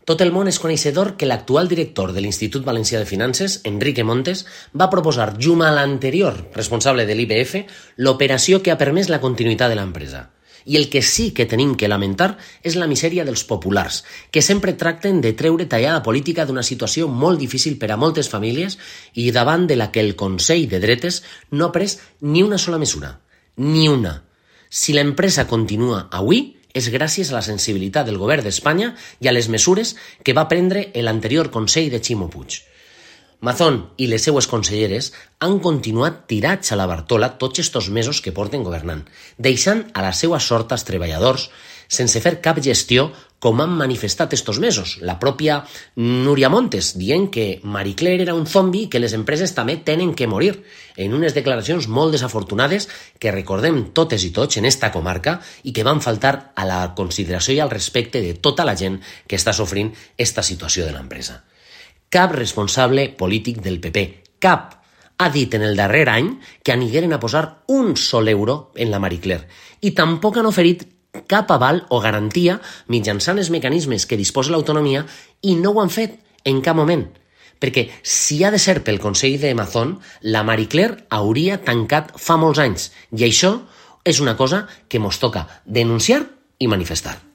Tot el món és coneixedor que l'actual director de l'Institut Valencià de Finances, Enrique Montes, va proposar, junt a l'anterior responsable de l'IBF, l'operació que ha permès la continuïtat de l'empresa. I el que sí que tenim que lamentar és la misèria dels populars, que sempre tracten de treure tallada política d'una situació molt difícil per a moltes famílies i davant de la que el Consell de Dretes no ha pres ni una sola mesura. Ni una. Si l'empresa continua avui, és gràcies a la sensibilitat del govern d'Espanya i a les mesures que va prendre l'anterior Consell de Ximo Puig. Mazón i les seues conselleres han continuat tirats a la Bartola tots estos mesos que porten governant, deixant a la seua sort als treballadors sense fer cap gestió com han manifestat estos mesos. La pròpia Núria Montes dient que Marie Claire era un zombi i que les empreses també tenen que morir, en unes declaracions molt desafortunades que recordem totes i tots en esta comarca i que van faltar a la consideració i al respecte de tota la gent que està sofrint esta situació de l'empresa. Cap responsable polític del PP, cap, ha dit en el darrer any que anigueren a posar un sol euro en la Marie Claire i tampoc han oferit cap aval o garantia mitjançant els mecanismes que disposa l'autonomia i no ho han fet en cap moment. Perquè si ha de ser pel Consell de Mazón, la Marie Claire hauria tancat fa molts anys i això és una cosa que mos toca denunciar i manifestar.